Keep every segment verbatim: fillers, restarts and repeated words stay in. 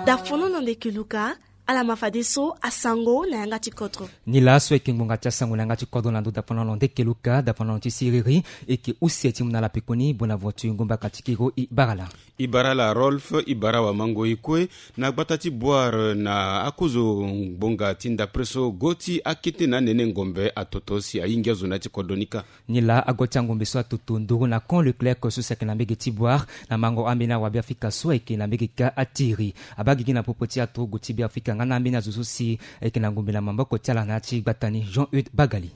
Dafono na ndeke luka. Ala ma fadeso asango na yanga ti kodro. Ni laso eke ngbonga ti asango na yanga ti kodro na ndo dafono na ndeke luka, dafono ti siriri. Eke use ti mu na ala pekoni, bona vo ti ngomba katikiro i bara la. I bara la Rolf, i bara wa mango i kue. Na gbata ti Boire na akozo ngbonga ti ndapre so go ti akete na nene ngombe atoto si ahingi azo na ya ti kodro ni kâ. Ni laa ago ti angombe so atoto nduru na camp Leclerc so si ayeke na mbege ti Boire na mango ambeni awabe Afrika so ayeke na mbege kâ atiri. Abaa gigi na popo ti aturugu ti Beafrika nga na ambeni azo so si ayeke na ngombe na maboko ti ala na ya ti gbata ni. Jean Eude Bagali.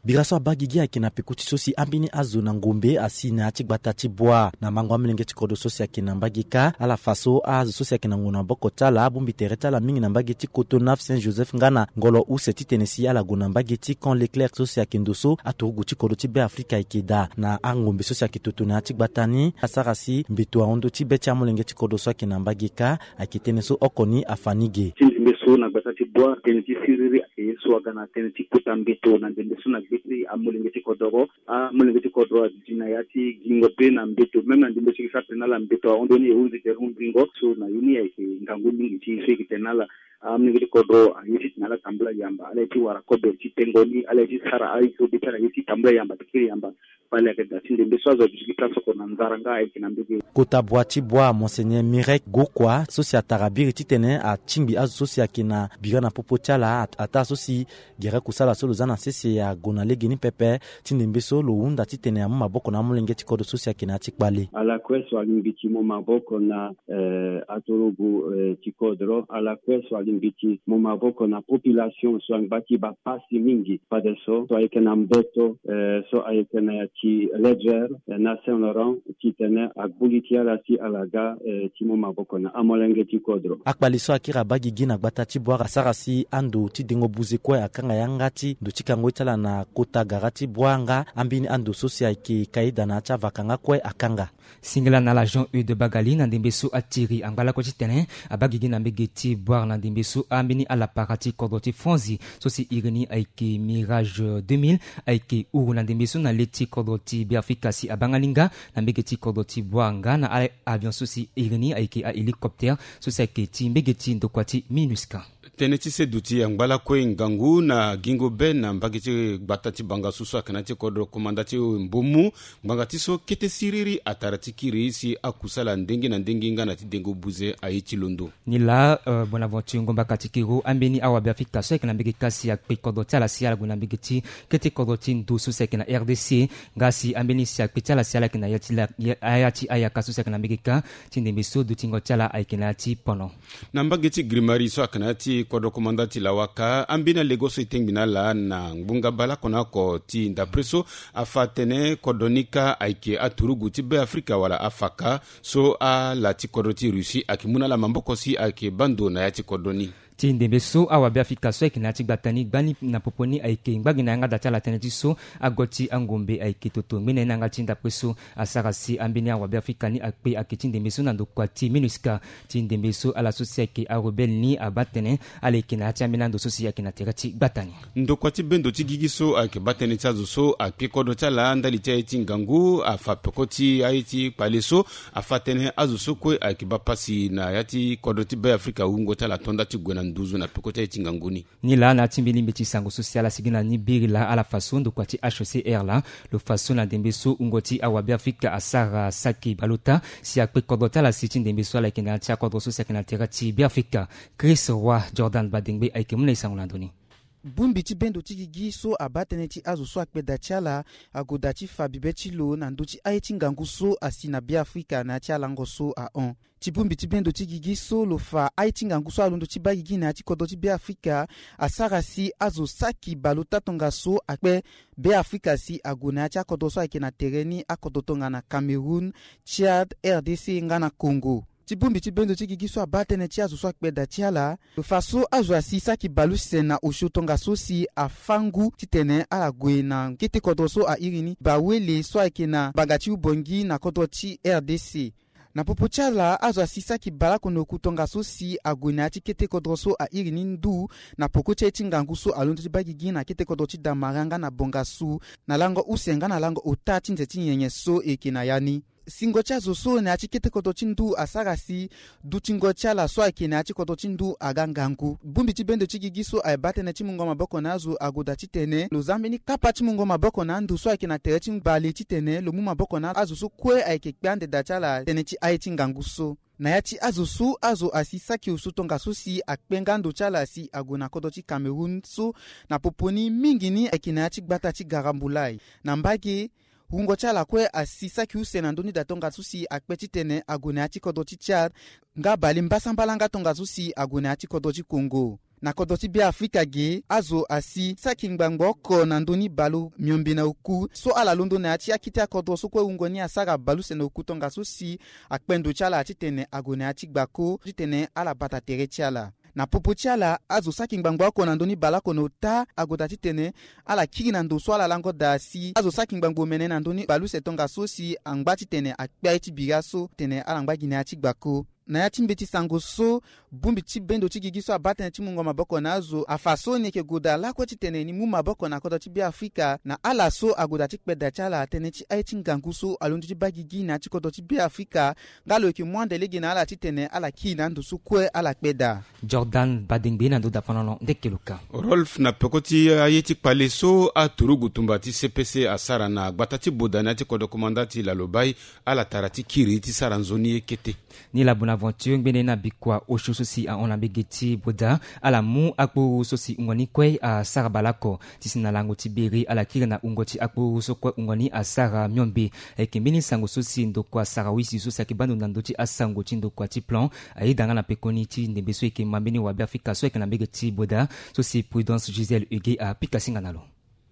Bira so abaa gigi ayeke na peko ti so si ambeni azo na ngombe asi na ya ti gbata ti Boire na mango amolenge ti kodro so si ayeke na mbage kâ. Ala fa so azo so si ayeke na ngu na maboko ti ala abongbi tere ti ala mingi na mbage ti Cotonou, Saint Joseph nga na ngolo use titene si ala gue na mbage ti camp Leclerc so si ayeke ndo so aturugu ti kodro ti Beafrika ayeke daa na angombe so si ayeke toto na ya ti gbata ni. Asara si mbeto ahon ndö ti be ti amolenge ti kodro so ayeke na mbage kâ. Ayeke tënë so oko ni afa ni ge. Ti ndembe so na gbata ti Boire, tënë ti siriri ayeke ye so aga na tënë ti kota mbeto na ndembe so na gbe ti amolenge ti kodoro. Amolenge ti kodro aduti na ya ti gingo be na mbeto, même na ndembe so e ke sara tene na ala mbeto ahon ndö ni e hunzi tere hunzingo so na ye ni ayeke ngangu mingi ti e so e ke tene na ala. Amolenge ti kodro aye titene ala tambula yamba, ala ye ti wara kobe ti tengo ni, ala ye ti sara aye so be ti ala ye ti tambula yamba ti kiri yamba. Fade ayeke daa ti ndembe so azo aduti gi place oko na nzara nga ayeke na mbege. Kota bua ti Boire, Monseigneur Mirek Gokua so si atara biri titene atingbi azo so si ayeke na bira na popo ti ala, at- ataa so si gere kusala so lo za na sese ague na legeni pepe. Ti ndembe so lo hunda titene amu maboko na amolenge ti kodro so si ayeke na ya ti kpale. Ala kue so alingbi ti mu maboko na, eh, aturugu, eh, ti kodro, ala kue so alingbi ti mu maboko na population so angba ti baa pasi mingi. Fadeso so ayeke na mbeto, eh, so ayeke na ya ti Ledger, eh, na Saint Laurent, titene agbu li ti ala si ala ga, eh, ti mu maboko na amolenge ti kodro. Akpali so akiri abaa gigi na gbata ti Boire asara si ando ti dengo buze kue akanga yanga ti ndo ti kango ye ti ala na kota gara ti Boire nga ambeni ando so si ayeke ka ye daa na ya ti avaka nga kue akanga. Singila na ala Jean Eude Bagali na ndembe so atiri angba lakue titene abaa gigi na mbege ti Boire na ndembe so ambeni alapara ti kodro ti Franzi so si iri ni ayeke Mirage deux mille ayeke huru na ndembe so na le ti kodro ti Beafrika si abaa nga ni nga na mbege ti kodro ti Boire nga na a- avion so si iri ni ayeke ahélicoptère so si ayeke ti mbege ti ndokua ti MINUSCA. Tënë ti se duti angba lakue ngangu na gingo be na mbage ti gbata ti Bangassou so ayeke na ya ti kodro komanda ti Mbomou. Ngbanga ti so kete siriri atara ti kiri si akusala ndenge na ndenge nga na ti dengo buze aye ti londo. Ni laa, eh, Bonaventure Ngomba Katikiro, ambeni awabe Afrika so ayeke na mbege kâ si akpe kodro ti ala si ala gue na mbege ti kete kodro ti ndo so si ayeke na R D C, nga si ambeni si akpe ti ala si ala yeke na ya ti la- ya- aya ti ayaka so si ayeke na mbege kâ ti ndembe so dutingo ti ala ayeke na ya ti pono. Na mbage ti Grimari so ayeke na ya ti kodro komanda ti Lawaka, ambeni alego so e tengbi na ala na ngbonga bale oko na oko ti ndapre so afa atene kodro ni kâ ayeke aturugu ti Beafrika wala afaka so ala ti kodro ti Russie ayeke mu na ala maboko si ayeke baa ndo na ya ti kodro ni. Ti ndembe so awabe Afrika so ayeke na ya ti gbata ni gbani na popo ni ayeke ngba gi na yanga da ti ala tënë ti so ago ti angombe ayeke toto ngbene na yanga ti ndapre so asara si ambeni awabe Afrika ni akpe ayeke ti ndembe so na ndokua ti MINUSCA. Ti ndembe so ala so si ayeke arebelle ni abaa tene ala yeke na ya ti ambeni ando so si ayeke na tere ti gbata ni. Ndokua ti bendo ti gigi so ayeke baa tënë ti azo so akpe kodro ti ala ndali ti aye ti ngangu afa peko ti aye ti kpale so afa atene azo so kue ayeke baa pasi na ya ti kodro ti Beafrika wungo ti ala to nda ti gue na nduzu na peko ti aye ti ngangu ni. Ni laa na ya ti mbi lingbi ti sango so si ala sigi na ni biri laa ala fa so ndokua ti H C R laa lo fa so na ndembe so wungo ti awabe Afrika asara saki baleota si akpe kodro ti ala si ti ndembe so ala yeke na ya ti akodro so si ayeke na tere ti Beafrika. Chris Roy Jordan Badengbe ayeke mu na e sango na ndö ni. Bongbi ti bendo ti gigi so abaa tënë ti azo so akpe da ti ala ague da ti fa bibe ti lo na ndö ti aye ti ngangu so asi na Beafrika na ya ti alango so ahon. Ti bongbi ti bendo ti gigi so lo fa aye ti ngangu so alondo ti baa gigi na ya ti kodro ti Beafrika asara si azo saki baleota tongaso akpe Beafrika si ague na ya ti akodro so ayeke na tere ni, akodro tongana Cameroun, Tchad, R D C nga na Congo. Ti bongbi ti bendo ti gigi so abaa tënë ti azo so akpe da ti ala lo fa so azo asi saki baleuse na osio tongaso si afâ ngu titene ala gue na kete kodro so airi ni Bawele so ayeke na mbanga ti Ubangui na kodro ti R D C. Na popo ti ala azo asi saki baleoko na oku tongaso si ague na ya ti kete kodro so airi ni ndu na peko ti aye ti ngangu so alondo ti baa gigi na kete kodro ti Damara nga na Bangassou na lango use nga na lango ota ti nze ti nyenye so e yeke na ya ni. Singo ti azo so na ya ti kete kodro ti ndu asara si dutingo ti ala so ayeke na ya ti kodro ti ndu aga ngangu. Bongbi ti bendo ti gigi so aye baa tënë ti mungo maboko na azo agoda titene lo za mbeni kapa ti mungo maboko na ando so ayeke na tere ti mbali titene lo mu maboko na azo so kue ayeke kpe andeda ti ala tënë ti aye ti ngangu so. Na ya ti azo so azo asi saki osu tongaso si akpe nga ndo ti ala si ague na kodro ti Cameroun so na popo ni mingi ni ayeke na ya ti gbata ti Garambulai. Na mbage, wungo ti ala kue asi saki use na ndö ni da tongaso si akpe titene ague na ya ti kodro ti Tchad, nga bale mbasambala nga tongaso si ague na ya ti kodro ti Congo. Na kodro ti Beafrika ge, azo asi saki ngbangbo oko na ndö ni bale miombe na oku so ala londo na ya ti akete akodro so kue wungo ni asara bale use na oku tongaso si akpe ndo ti ala titene ague na ya ti gbako titene ala bata tere ti ala. Na popo ti ala, azo saki ngbangbo oko na ndö ni bale oko na ota agoda titene ala kiri na ndo so ala lango daa si azo saki ngbangbo omene na ndö ni bale use tongaso si angba titene akpe aye ti bira so titene ala ngba gi na ya ti gbako. Na ya ti mbeti sango so, bongbi ti bendo ti gigi so abaa tënë ti mungo maboko na azo afa so ni yeke gue daa lakue titene ni mu maboko na kodro ti Beafrika na ala so ague daa ti kpe daa ti ala tënë ti aye ti ngangu so alondo ti baa gigi na ya ti kodro ti Beafrika, nga lo yeke mu ande lege na ala titene ala kiri na ando so kue ala kpe daa. Jordan Badengbe na ndo dafanolo ndeke lo ka. Rolf, na peko ti aye ti kpale so aturugu tumba ti C P C asara na gbata ti Boda na ya ti kodro komanda ti Lalobai, ala tara ti kiri ti sara nzoni ye kete. Ni la Bonaventure ngbene na bikua osio so si ahon na mbege ti Boda, ala mu akpuru so si wungo ni kue asara baleoko. Ti si na lango ti bere ala kiri na wungo ti akpuru so kue wungo ni asara miombe. Ayeke mbeni sango so si ndokua Sarawisi so si ayeke baa ndo na ndö ti asango ti ndokua ti plan ayeda nga na pekoni ti ndembe so e yeke ma mbeni wabeafrika so ayeke na mbege ti Boda, so si Prudence Gisèle Huguet apika singa na lo.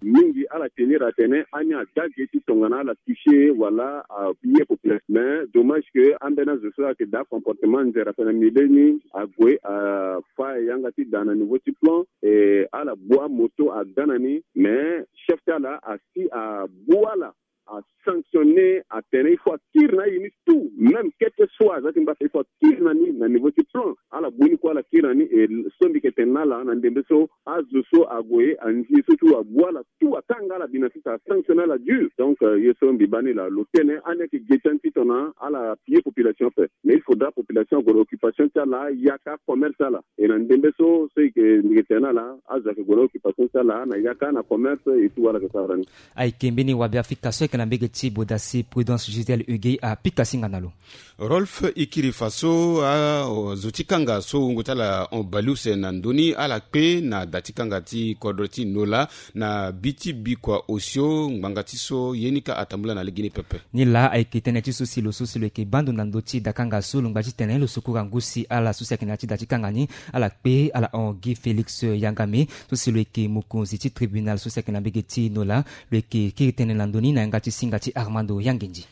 Mingi ala tenir atene ani ada ge ti tongana ala toucher wala aye population, mais dommage que ambeni azo so ayeke daa comportement nzere ape na milieu ni ague afa yanga ti daa na niveau ti plan. E ala bu amoto aga na ni, mais chef ti ala asi abu ala, asanctionner atene il faut akiri na aye ni tout, même kete so aza ti ngba ape il faut akiri na ni na niveau ti plan. Ala bu ni kue ala kiri na ni, e so mbi yeke tene na ala na ndembe so azo so ague anzi so tout abu ala tout, akanga ala bi na sisa, asanctionner ala dur. Donc ye so mbi baa ni laa lo tene ani ayeke ge ti ani ti tongana ala appuyer population ape, mais il faudra population ague na occupation ti ala, yaka commerce ti ala. E na ndembe so so e yeke mbi yeke tene na ala, azo ayeke gue na occupation ti ala na yaka na commerce et tout wala yeke sara ni. Ayeke mbeni wabeafrika so ayeke na mbege ti Boda si Prudence Gisèle Huguet apika singa na lo. Rolf, e kiri fa so azo ti kanga so wungo ti ala hon baleuse na ndö ni ala kpe na da ti kanga ti kodro ti Nola na bi ti bikua osio ngbanga ti so ye ni ka atambula na legeni pepe. Ni laa ayeke tënë ti so si lo so si lo yeke baa ndo na ndö ti dakanga so lo ngba titene lo sukura ngu si ala so si ayeke na ya ti da ti kanga ni ala kpe ala hon Guy Félix Yangame so si lo yeke mokonzi ti tribunal so si ayeke na mbege ti Nola. Lo yeke kiri tënë na ndö ni na yanga ti singa ti Armando Yangendi.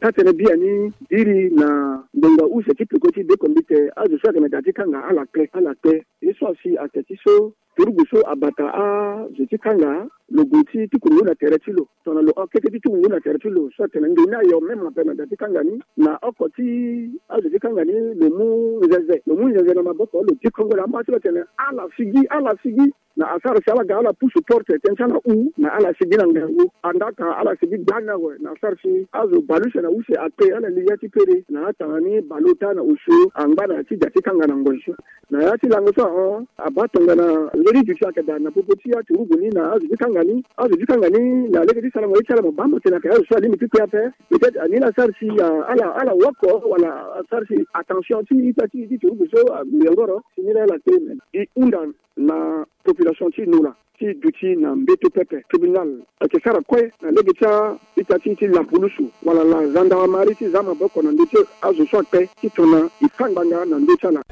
Taa-tënë biani iri na ngbonga use ti peko ti bekombite azo so ayeke na da ti kanga ala kpe ala kpe. Ye so asi ake ti so turugu so abata azo ti kanga lo gue ti tuku ngu na tere ti lo tongana lo hon kete ti tuku ngu na tere ti lo so atene nge ni ayo même ape na da ti kanga ni na oko ti azo ti kanga ni lo mu nzenze lo mu nzenze na maboko lo ti kongo na ama ti lo atene ala sigi ala sigi. Na asara si ala ga ala pusu porte tënë ti ala hu na ala sigi na ngangu. Andaka ala sigi gbani awe na asara si azo baleuse na use akpe ala li ya ti pere na atanga ni baleota na osio angba na ya ti da ti kanga na ngoi so. Na ya ti lango so ahon abaa tongana nzoni duti ayeke daa na popo ti aturugu ni na azo ti kanga ni azo ti kanga ni na lege ti sarango ye ti ala mo baa mo tene ayeke azo so alingbi ti kpe ape. Peut-être ani la asara si ala ala woko wala asara si attention ti ita ti ti turugu so aguyongoro si ni la ala kpe. E hunda na population ti Nola ti duti na mbeto pepe tribunal ayeke sara kue na lege ti a-ita ti ti lapulusu wala la gendarmerie ti za maboko na ndö ti azo so akpe ti tongana e fa ngbanga na ndö ti ala.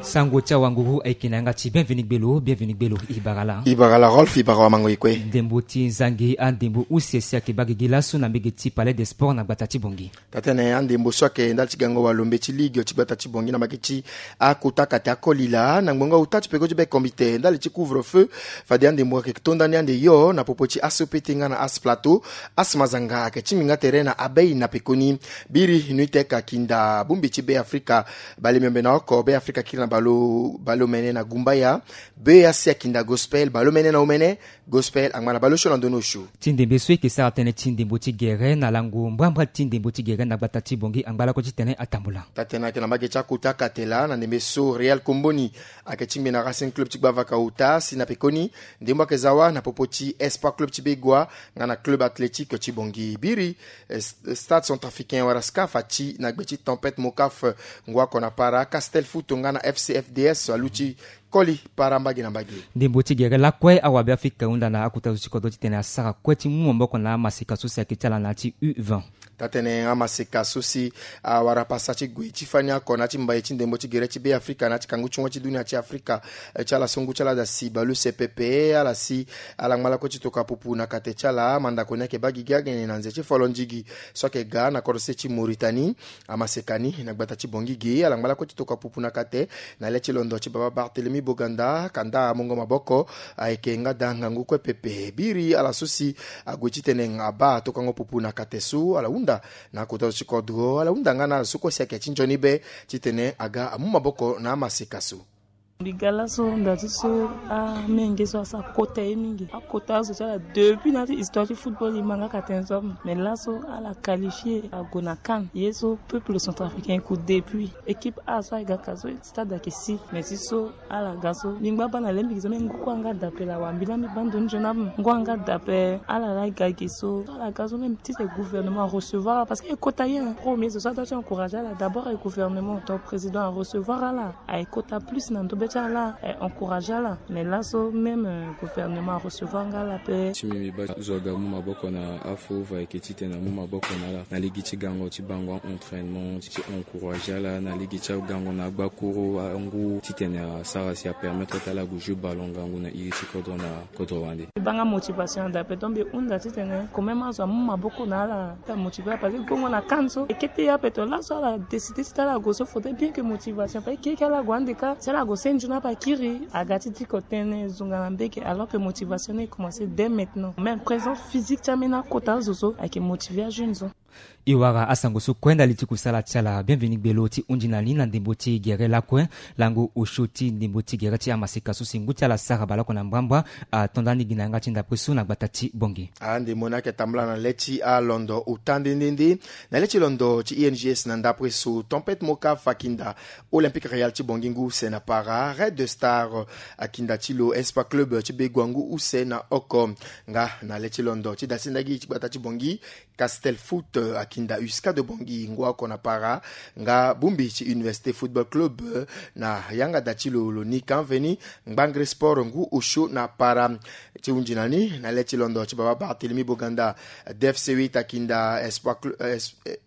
Sango ti awanguru ayeke na yanga ti bienvenu gbelo bienvenu gbelo. E bara laa e bara wamango e kue. Ndembo ti zange andembo use si ayeke baa gigi laso na mbege ti Palais des Sports na gbata ti Bangui. Taa-tënë andembo so ayeke ndali ti gango walombe ti ligue ti gbata ti Bangui na mbage ti akota kate akoli laa na ngbonga ota ti peko ti bekombite ndali ti couvre-feu. Fade andembo ayeke tonda ni ande yo na popo ti A S P T nga na A S Plateau. A S Mazanga ayeke ti minga tere na abei na pekoni. Biri nuiteka kinda bongbi ti Beafrika bale miombe na oko Beafrika kiri na bale. Balo balo mene na gumbaya. Be asi akinda gospel balo mene na omene. Gospel angba na balo sio na ndono sio. Ti ndembe so eke sara tënë ti ndembo ti gere na lango mbrambra ti ndembo ti gere na gbata ti bongi angba lako ti tene atambula. Tatene ayeke na mbage ti akota katela na ndembe so real komboni ayeke tingbi na racing club ti gbavaka ota si na pekoni ndembo ayeke zawa na popo ti espoir club ti begua nga na club athlétique ti bongi biri. Stade centrafricain wara scaf ati na gbe ti tempête mokaf ngua kona para castel foot nga na fcfds aluti koli para mbage na mbage. Ndembo ti gere lakue awabe afrika hunda na akota zo ti kodro titene asara kue ti mu maboko na amaseka so si ayeke ti ala na ya ti u vingt. Tatene amaseka so si awara pasa ti gue ti fani ako na ya ti mbai ti ndembo ti gere ti be afrika na ya ti kangu ti ngoi ti dunia ti afrika ti ala so ngu ti ala da si balu sepepe ala si ala ngba lakue ti tokua pupu na kate ti ala mandako ni ayeke baa gigi agene na nze ti folo ndigi so ayeke ga na kodro se ti moritani. Amaseka ni na gbata ti bongi gi ala ngba lakue ti tokua pupu na kate na le ti londo ti baba bartelemi boganda kanda amongo maboko. Ayeke nga da ngangu kue pepe biri ala so si ague titene abaa atokango pupu na kate so ala hunda na akota zo ti kodro ala hunda nga na ala so kue si ayeke ti nzoni be titene aga amu maboko na amaseka so. Mbi ga laso nda ti so amenge so asara kota ye mingi akota azo ti ala depuis na ya ti histoire ti football e ma nga ka tene so ape mais laso ala qualifie ague na cannes ye so peuple centrafricain eku depuis équipe a so ayeke ga ka so stade ayeke si mais ti so ala ga so mbi ngba baa na lembiki so même ngu kue anga dape la wa mbi laa mbi baa ndo ni nzoni ape ngu anga dape ala laa e ga gi so ala ga so même ti tene gouvernement arecevoir ala parce que e kota ye premier so so adua ti encourage ala d'abord e gouvernement donc président arecevoir ala aye kota plus na ndobe ti ala aye encourage ala mais laso même gouvernement arecevoir nga ala pe. Ti mbi mbi baa zo aga mu maboko na afova ayeke titene amu maboko na ala na lege ti gango ti bango a-entraînement ti encourage ala na lege ti agango na agbakuru angu titene asara si apermettre ti ala ague jeu ballon ngangu na iri ti kodro na kodro wande. Mbi baa nga motivation na dape donc mbi hunda titene quand même azo amu maboko na ala ti amotive ala parce que gongo na cannes so e kete ye ape to laso ala décide ti ti ala ague so faudrait bien que motivation parce que kiri kiri ala ague ande kâ si ala ague se nzoni ape akiri aga ti diko tënë zonga na mbege alors que motivation ni e commence dès maintenant même présence physique ti ambeni akota azo so ayeke motive ajeune so. E wara asango so kue ndali ti kusala ti ala bienvenu gbelo ti hundi na ni na ndembo ti gere lakue lango osio ti ndembo ti gere ti amaseka so si ngu ti ala sara baleoko na mbrambra ato nda ni gi na yanga ti ndapre so na gbata ti bongi. Ande mo ni ayeke tambula na le ti alondo ota nde nde nde na le ti londo ti ings na ndapre so tempête moka fakinda olympique réal ti bongi ngu use na para red star akinda ti lo espa club ti begua ngu use na oko. Nga na le ti londo ti dasi ndagi ti gbata ti bongi castel foot akinda uska de bongi ngu oko na para nga bumbi ti université football club na yanga da ti lo lo ni kanveni ngbangre sport ngu osio na para. Ti hunzi na ni na le ti londo ti baba bartelemi boganda dfc huit akinda espoir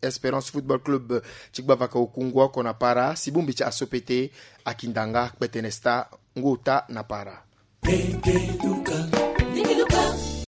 espérance football club ti gbavaka oku ngu oko na para si bumbi ti asopete akinda nga kpetene sta ngu ota na para.